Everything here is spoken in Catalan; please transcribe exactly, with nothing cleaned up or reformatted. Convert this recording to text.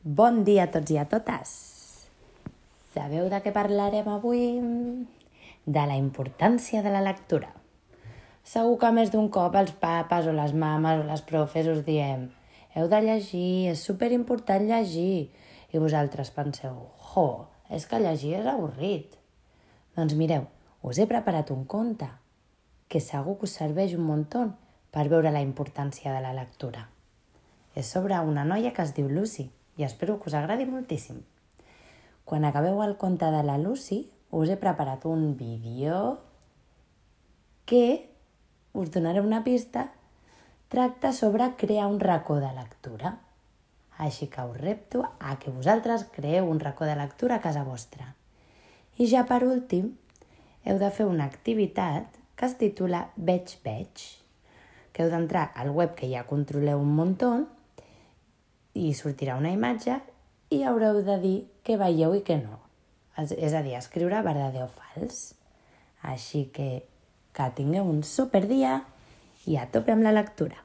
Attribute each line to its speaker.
Speaker 1: Bon dia a tots i a totes! Sabeu de què parlarem avui? De la importància de la lectura. Segur que més d'un cop els papes o les mames o les profes us diem heu de llegir, és superimportant llegir. I vosaltres penseu, jo, és que llegir és avorrit. Doncs mireu, us he preparat un conte que segur que us serveix un muntó per veure la importància de la lectura. És sobre una noia que es diu Lucy i espero que us agradi moltíssim. Quan acabeu el conte de la Lucy, us he preparat un vídeo que us donaré una pista. Tracta sobre crear un racó de lectura. Així que us repto a que vosaltres creeu un racó de lectura a casa vostra. I ja per últim, heu de fer una activitat que es titula Veig, veig, que heu d'entrar al web que ja controleu un muntó i sortirà una imatge i haureu de dir què veieu i què no. És a dir, escriure verdadero o fals. Així que que tingueu un superdia i a tope amb la lectura.